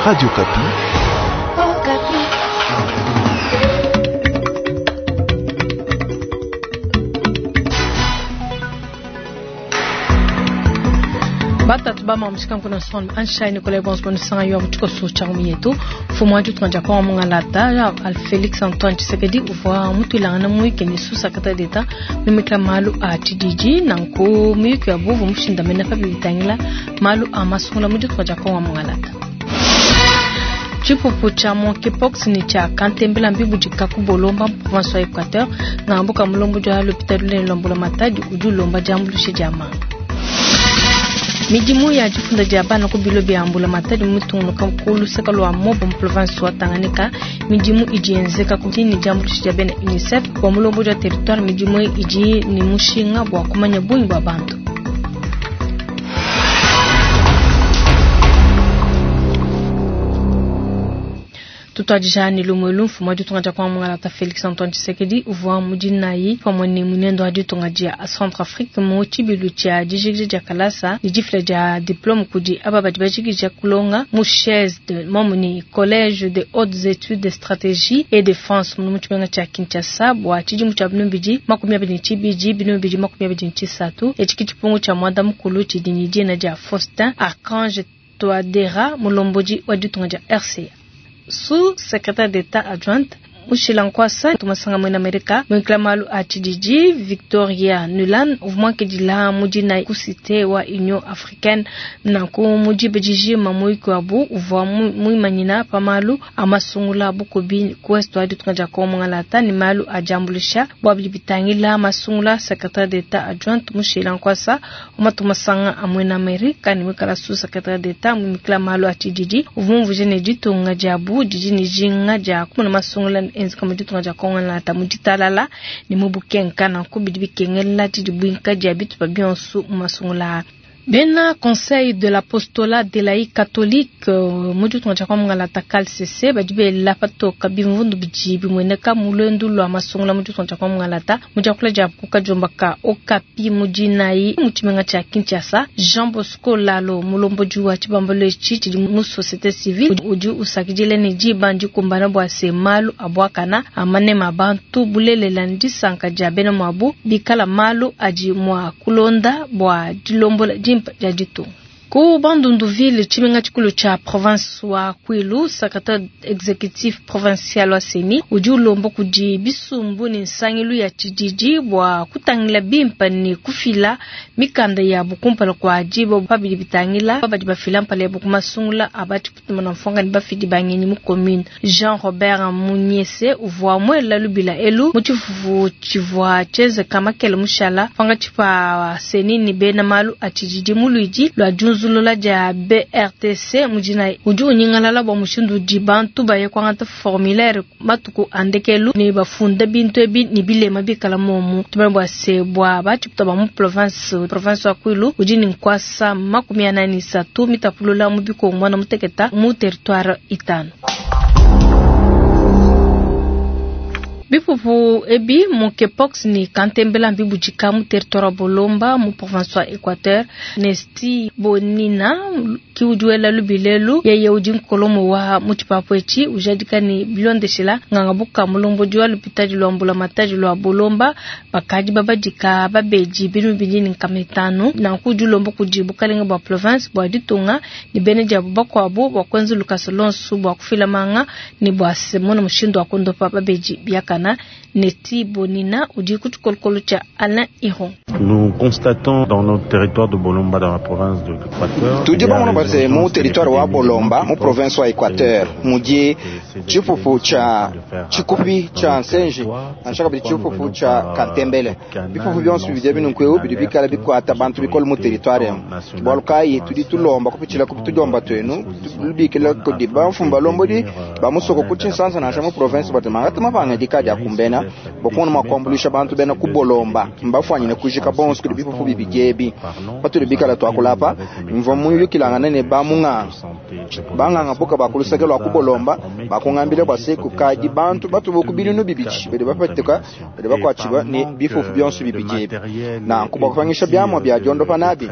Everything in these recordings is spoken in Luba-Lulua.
Radio Okapi. Batatu ba mamushika nkuna son anshai Nicolas Bonsbon sanga yo mutiko so cha yetu fumu aju tuanja kwa mungalata al Felix Antoine Tshisekedi uvwa mutuilangana muike ni sous secrétaire d'État mimikla malu a TDG nanku muyuki wa buvu mushindamena pa bitangila malu a masungula mu ditunga kwa mungalata. Tshipupu tsha monkeypox ni tsha kantembela mbibudika ku Bolomba mu province wa Equateur ngambuka mulombo dia l'hôpital lunene lwa Mbulamatadi udi ulomba diambuluisha dia manga. Midimu ya difunda dia bana ku bilo bia Mbulamatadi mutungunuka ku luseke lua Moba mu province wa Tanganyika. Midimu idi yenzeka ku ni diambuluisha dia bena UNICEF bua mulombo dia territoire. Midimu idi ni mushinga bua kumanya bungi bua bantu. Tutuadija ni lumwe mfumu wa ditunga dia kwa mungalata Felix Antoine Tshisekedi uvua mudinayi pamue ne munendo wa ditunga dia Centrafrique mu tshibilu tshia dijikija dia kalasa ne difila dia diplome kudi aba badi bajikija kulonga mu chaise de momu ni collège de hautes études de stratégie et défense mu tshimenga tshia Kinshasa bua tshidimu tshia 2022 2023. Etshi ke tshipungu tshia mwanda mukulu tshidi ne dina dia Faustin Archange Touadera mulombodi wa ditunga dia RCA. Sous-secrétaire d'État adjointe Mushila Nkwasa tumasanga mwena Amerika mwinkila malu a tshididi Victoria Nuland uvua dila mudina ku cité wa Union Africaine nanku mudibe dijima muyuki wabu uvua muimanyina pa malu a masungula bukubi ku est wa ditunga dia Kongo mungalata ni malu a diambuluisha bua bidi bitangila masungula. Secrétaire d'État adjointe Mushila Nkwasa umatumasanga a mwena Amerika ni mwikala sous-secrétaire d'État mwimikila malu a tshididi uvua mumvuije ne ditunga diabu didi ne dijinga dia kumona masungula enzeka mu ditunga dia Kongo nata mu ditalala ne mu bukenka nanku bidi bikengela didi buinka dia bitupa bionso mu masungula. Bena Conseil de l'apostolat de laïcs catholique mu ditunga dia Kongo mungalata CALCC badi bela patoka bimvundu bidi bimueneka mu luendu lua masungula mu ditunga dia Kongo mungalata mu diakula dia kukadiomba ka Okapi mu dinayi mu tshimenga tshia Kinshasa. Jean Bosco Lalo mulombodi wa tshibambalu etshi tshidi mu société civile udi usakidila ne diba ndikumbana bua se malu abuakana amanema bantu bulelela ne disanka dia bena muabu bikala malu adi mua kulonda bua dilombola dimpe dia ditunga. Ku Bandunduville tshimenga tshikulu tshia province wa Kwilu, secrétaire exécutif provincial wa CENI udi ulomba kudi bisumbu ne nsangilu ya tshididi bua kutangila bimpe ne kufila mikanda yabu kumpala kua diba pa bidi bitangila badi bafila mpala yabu ku masungula a batshiputuma na mfonga ne bafidi ba ngenyi mu commune. Jean Robert Munyese uvua muela lubila elu mu tshifufu tshivua tshienzeka makele mushala pangatshi pa CENI ne bena malu a tshididi mu luidi lua diunzulula dia BRTC mudina. Udi unyingalala bua mushindu udi bantu baye kuangata formulaire matuku a ndekelu ne bafunda bintu ebi ne bilema bikala momu. Tumanye bua se bua batshiputa ba mu province wa Kwilu udi ne nkuasa 43 mitapulula mu bikongo mwana muteketa mu territoire itano. Bipupu ebi monkeypox ni kantembela mbibudika mu territoire wa Bolomba mu province wa Equateur. Nesti Bonina ki udi wela lubilelu yeye udi nkolomo wa mu tshipapu etshi ujadika ne bilondeshela nganga buka mulombodi wa lupitadi lwa Mbulamatadi lwa Bolomba bakadi babadika babedi binu bidi ne nkama itanu nanku udi ulomba kudi bukalenga bua province bua ditunga ne bena diabu bakuabu bua kuenza lukasa lonso bua kufila manga ne bua semona mushindu wa kondopa babedi biakana. Neti Bonina udi ku tshikolokolo tshia Alain Iron. Nous constatons dans notre territoire de Bolomba, dans la province de l'Équateur, tudi bamona base mu territoire wa Bolomba mu province wa Equateur mudi tshipupu tshia tshikupi tshia nsenji nansha kabidi tshipupu tshia kantembele. Bipupu bionso bidi binunku bidi bikala bikuata bantu bikole mu territoire emu. Bualu kayi tudi tulomba kupitshila ku tudiomba tuenu lubikila kudi bamfumu balombodi ba musoko ku tshinsansa nansha mu province bati mangata mapangadika dia kumbena bua kumona mua kuambuluisha bantu bena ku Bolomba mbafuanyine kujika bonso kudi bipupu bibidi ebi. Patudi bikala tuakula apa mvua muyukilangana ne bamunganga banganga buka ba ku luseke lua ku Bolomba. Bakungambila bua se kukadi bantu batubu ku binunu bibidi badi bapatuka badi bakuatshibua ne bifufu bionso bibidi ebi. Nanku bua kupangisha biamua bia diondopa nabi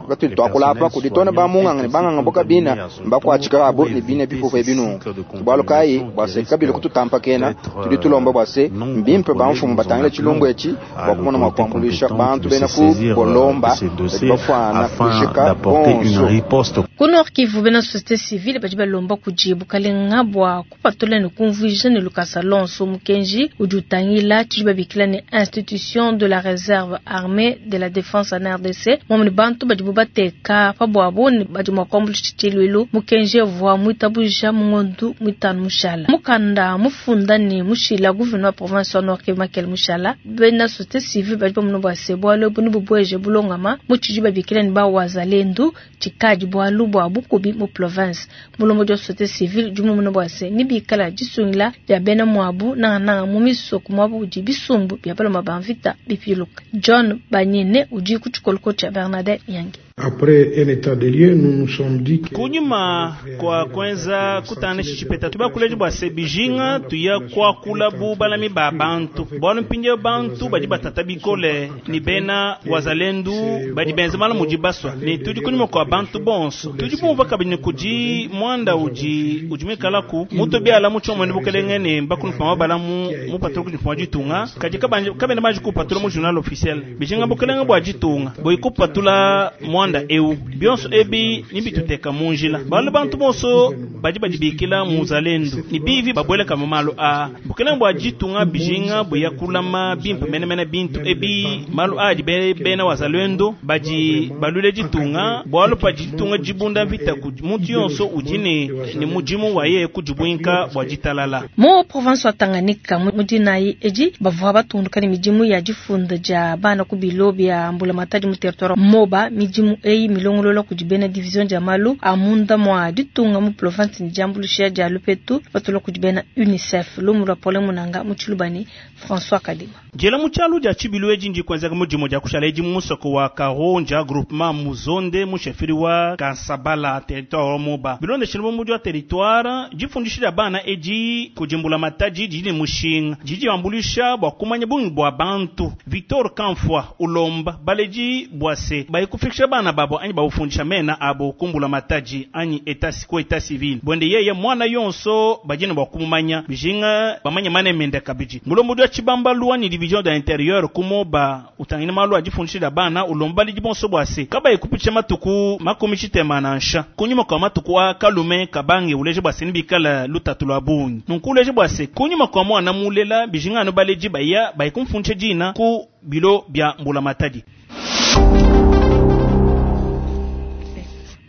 patudi tuakula apa kudi tona ba munganga ne banganga boka bina mbakuatshika abu ne bine bifufu ebi nunku. Bualu kayi bua se kabilu kututampakena tudi tulomba bua se mbimpe bamfumu batangile tshilumbu etshi bua kumona mua kuambuluisha bantu bena ku Bolomba badi bafuana kujika bonso. Ku Nord Kivu, bena société civile badi balomba kudi bukalenga bua kupatula ne kumvuija ne lukasa lonso mukenji udi utangila tshidi babikila ne institution de la réserve armée de la défense en RDC momwe ne bantu badibu bateka pa buabu ne badi mua kuambuluisha tshiluilu. Mukenji uvua muitabuja mu ngondu muitanu mushala mukanda mufunda ne mushila gouverneur wa province wa Nord Kivu Makele Mushala. Bena société civile badi bamona bua se bualu ebu nebubueje bulongama mu tshidi babikila ne ba wazalendu tshikadi bualu bua bukubi mu province. Mulombodi wa société civile udi mumona bua se nibikala disungila dia bena muabu nangananga mu misoko muabu udi bisumbu bia baloma ba mvita bipiluka. John Banyene udi ku tshikoloko tshia Bernadette Nyangi. Après un état de lieux, nous nous sommes dit que kunyima kwa kwenza kutana tshipeta tubakuleje bua se bijinga tuya kuakula bu balami ba bantu bualu mpindieu bantu badi batata bikole ni bena wazalendu badi benza malu mudi basua ne tudi kunyima kua bantu bonso tudi bumva kabidi kudi muanda udi udi muikalaku mutu biala mu tshiomoni bukelenge ne mbakunupama balamu mupatula kudi mfuma ditunga kadi kabena baji kupatula mu journal officiel bijinga bukelenge bua ditunga boi kupatula muanda eu bionso ebi nibituteka mu njila balu bantu bonso badi badibikila muzalendu ni bivi babweleka mu malu a bukelenge bua ditunga bijinga buya kulama bimpe menemene bintu ebi malu adi bena wazalendo badi balule ditunga bualu pa ditunga dibunda mvita muntu yonso udi ne ne mudimu waye kudibuinka bua ditalala. Mu province wa Tanganyika mu dinayi edi bavua batunduka ne midimu ya difunda dia bana ku bilo bia mbulamatadi mu territoire Moba. Midimu eyi milongolola kudi bena division dia malu a munda mua ditunga mu province ne diambuluisha dia lupetu patula kudi bena UNICEF. Lumu lua Paulin Munanga mu Tshilubani, François Kadima. Jela mu tshialu dia tshibilu edi ndi kuenzeka mudimu dia kushala edi mu musoko wa Karonja groupement Muzonde mu chefferie wa Kansabala territoire wa Moba. Bilondeshile mu mudi wa territoire difundisha dia bana edi kudimbula matadi didi ne mushinga didi ambuluisha bua kumanya bungi bua bantu. Victor Kamfwa ulomba baledi bua se bayikufikisha bana babo anyi bawufundisha mena abo kumbula matadi anyi état ko état civil bwende yeye mwana yonso bajina bua kumumanya bijinga bamanya mane mende kabidi. Mulombo wa tshibambalu anyi division de l'intérieur kumoba utangina malu adifundisha dia bana ulomba lidi bonso bua se kabayi kupitisha matuku makumi tshitema nansha kunyuma kwa matuku a kalume kabange uleje bua se nibikala lutatu lua bungi nunku uleje bua se kunyuma kwa mwana mulela bijinga anu baledi baya bayikumfundisha dina ku bilo bia mbula matadi.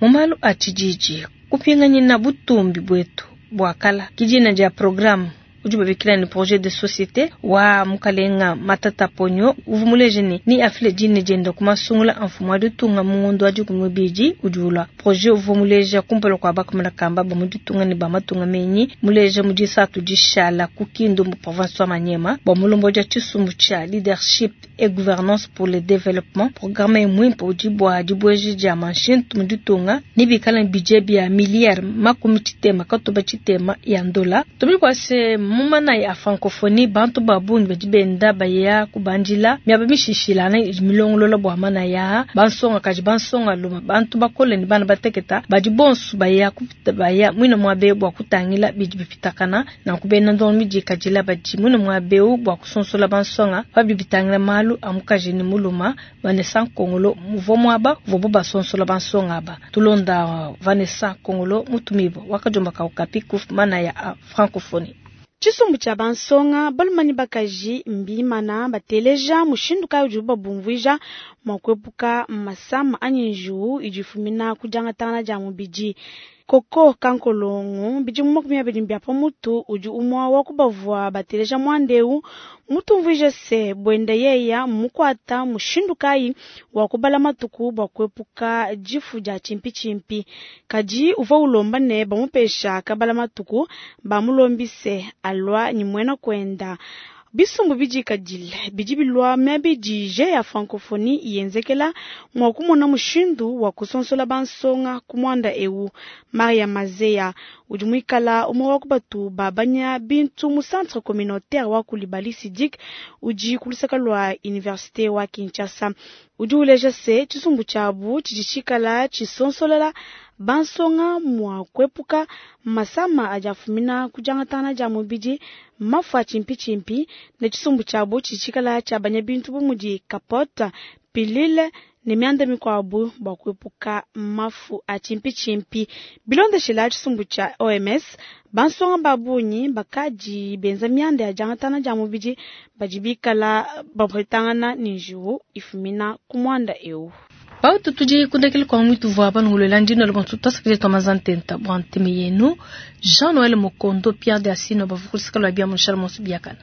Mu malu a tshijiji kupinganyina butumbi bwetu bua kala kidina dia programme udi babikila ni projet de société wa mukalenga Matata Ponyo uvu muleje ni ni afile dine dienda kumasungula amfumu wa ditunga mu ngondo wa dikumi bidi udi ulua. Projet uvu muleja kumpala kua bakamana kamba ba mu ditunga ne ba matunga menyi muleja mu disatu dishala ku Kindu mu province wa Maniema bua mulombo dia tshisumbu tshia leadership et gouvernance pour le développement. Programme mwimpe udi bua dibueji dia manshintu mu ditunga ni bikala budget bia milliard makumi tshitema katoba tshitema ya ndola. Tumili kwa se mumana ya francophonie bantu babungi badi benda baya kubandila miaba mishishilana milongolola bua mana ya bansonga kaji bansonga luma bantu bakole ni bana bateketa badi bonso baya kupita baya mwina mwabe bua kutangila bidi bipitakana na kubena ndono midi kajila badi mwina mwabe bua kusonsola bansonga babi bitangila malu amukaji ni muluma Vanessa Kongolo muvo mwaba vobo basonsola bansonga ba tulonda Vanessa Kongolo mutumibo wakajomba kaukapi kuf mana ya francophonie. Tshisumbu tshia bansonga balumani bakaji mbimana bateleja mushindu kayi udibu babumvuija mua kuepuka masama anyi njiwu idi ifumina ku diangatangana dia mubidi. Koko kankolongo bidimu 20 bia pamutu udi umwa wa kubavua bateleja mwandeu mutumvuije se bwende yeya mukwata mushindu kayi wa kubala matuku bua kuepuka difu dia chimpichimpi kadi uvua ulomba ne bamupesha kabala matuku bamulombise alwa ni mwena kwenda. Bisumbu bidikadile bidi bilua miaba idi Jeux ya Francophonie yenzekela mua kumona mushindu wa kusonsola bansonga ku muanda eu. Maria Mazeya udi muikala umue wa ku batu babanya bintu mu centre communautaire wa Coulibaly Sidik udi ku luseke lua universite wa Kinshasa. Udi uleja se tshisumbu tshiabu tshidi tshikala tshisonsolela bansonga mua kuepuka masama adi afumina ku diangatangana dia mubidi, mafu a tshimpitshimpi ne tshisumbu tshiabu tshidi tshikala tshiabanya bintu bu mudi capote, pilule ne mianda mikuabu bua kuepuka mafu a tshimpitshimpi. Bilondeshila tshisumbu tshia OMS, bansonga ba bungi bakadi benza mianda ya diangatangana dia mubidi badi bikala bapetangana ne njiwu ifumina ku muanda eu. Pautu tudi kundekele kwa mwitu vwa banungulwela ndino le bonso twasakile twa mazantenta bwa nteme yenu Jean Noël Mokondo Pierre de Asino bavukulisika lwa bia munshala monso biakana.